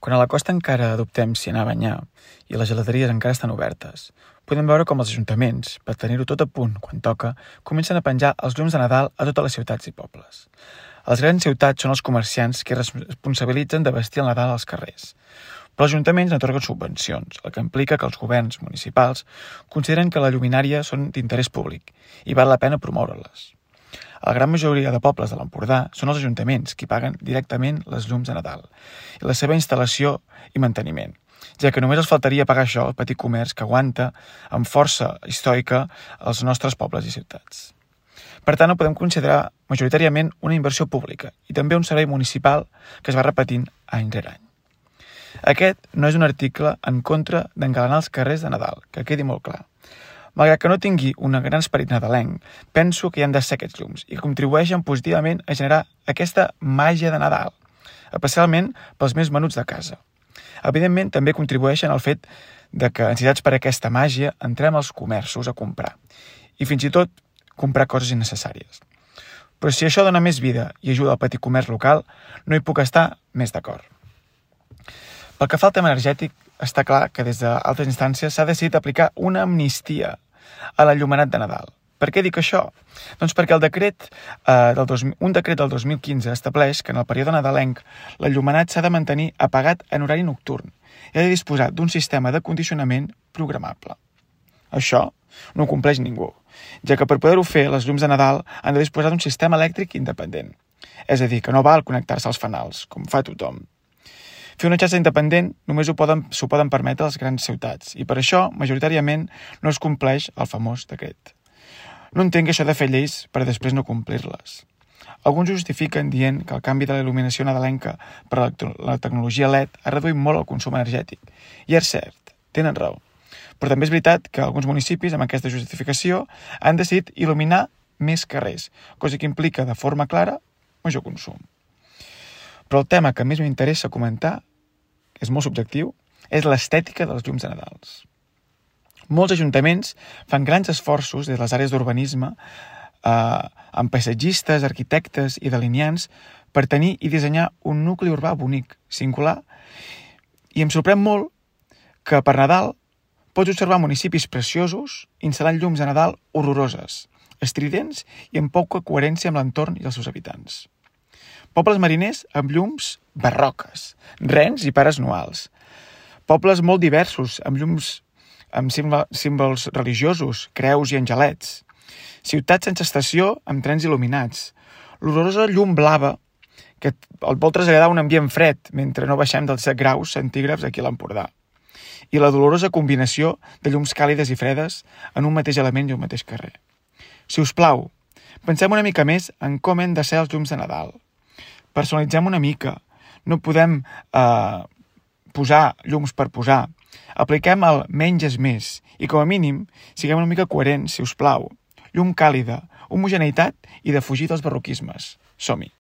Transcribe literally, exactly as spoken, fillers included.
Quan a la costa encara adoptem si anar a banyar i les gelateries encara estan obertes, podem veure com els ajuntaments, per tenir-ho tot a punt quan toca, comencen a penjar els llums de Nadal a totes les ciutats i pobles. A les grans ciutats són els comerciants que es responsabilitzen de vestir el Nadal als carrers, però els ajuntaments n'atorguen subvencions, el que implica que els governs municipals consideren que la lluminària són d'interès públic i val la pena promoure-les. A la gran majoria de pobles de l'Empordà són els ajuntaments qui paguen directament les llums de Nadal i la seva instal·lació i manteniment, ja que només els faltaria pagar això al petit comerç que aguanta amb força històrica els nostres pobles i ciutats. Per tant, ho podem considerar majoritàriament una inversió pública i també un servei municipal que es va repetint any rere any. Aquest no és un article en contra d'engalanar els carrers de Nadal, que quedi molt clar. Malgrat que no tingui un gran esperit nadalenc, penso que hi han de ser aquests llums i contribueixen positivament a generar aquesta màgia de Nadal, especialment pels més menuts de casa. Evidentment, també contribueixen al fet de que, necessitats per aquesta màgia, entrem als comerços a comprar i fins i tot comprar coses innecessàries. Però si això dona més vida i ajuda al petit comerç local, no hi puc estar més d'acord. Pel que fa al tema energètic, està clar que des d'altres instàncies s'ha decidit aplicar una amnistia a l'enllumenat de Nadal. Per què dic això? Doncs perquè el decret, eh, del dos, un decret del dos mil quinze estableix que en el període nadalenc l'enllumenat s'ha de mantenir apagat en horari nocturn i ha de disposar d'un sistema de condicionament programable. Això no ho compleix ningú, ja que per poder-ho fer les llums de Nadal han de disposar d'un sistema elèctric independent, és a dir, que no val connectar-se als fanals, com fa tothom. Fer una xarxa independent només ho poden, s'ho poden permetre les grans ciutats i per això, majoritàriament, no es compleix el famós decret. No entenc això de fer lleis per després no complir-les. Alguns justifiquen dient que el canvi de la il·luminació nadalenca per a la tecnologia L E D ha reduït molt el consum energètic. I és cert, tenen raó. Però també és veritat que alguns municipis, amb aquesta justificació, han decidit il·luminar més carrers, cosa que implica de forma clara major consum. Però el tema que més m'interessa comentar, que és molt subjectiu, és l'estètica dels llums de Nadals. Molts ajuntaments fan grans esforços des de les àrees d'urbanisme eh, amb paisatgistes, arquitectes i delineants per tenir i dissenyar un nucli urbà bonic, singular, i em sorprèn molt que per Nadal pots observar municipis preciosos instal·lant llums de Nadal horroroses, estridents i amb poca coherència amb l'entorn i els seus habitants. Pobles mariners amb llums barroques, rens i pares noals. Pobles molt diversos, amb llums amb símbols religiosos, creus i angelets. Ciutats sense estació amb trens il·luminats. L'horrorosa llum blava que el vol traslladar a un ambient fred mentre no baixem dels set graus centígrads aquí a l'Empordà. I la dolorosa combinació de llums càlides i fredes en un mateix element i un mateix carrer. Si us plau, pensem una mica més en com hem de ser els llums de Nadal. Personalitzem una mica, no podem eh, posar llums per posar. Apliquem el menys és més i com a mínim siguem una mica coherents, si us plau. Llum càlida, homogeneïtat i de fugir dels barroquismes. Som-hi!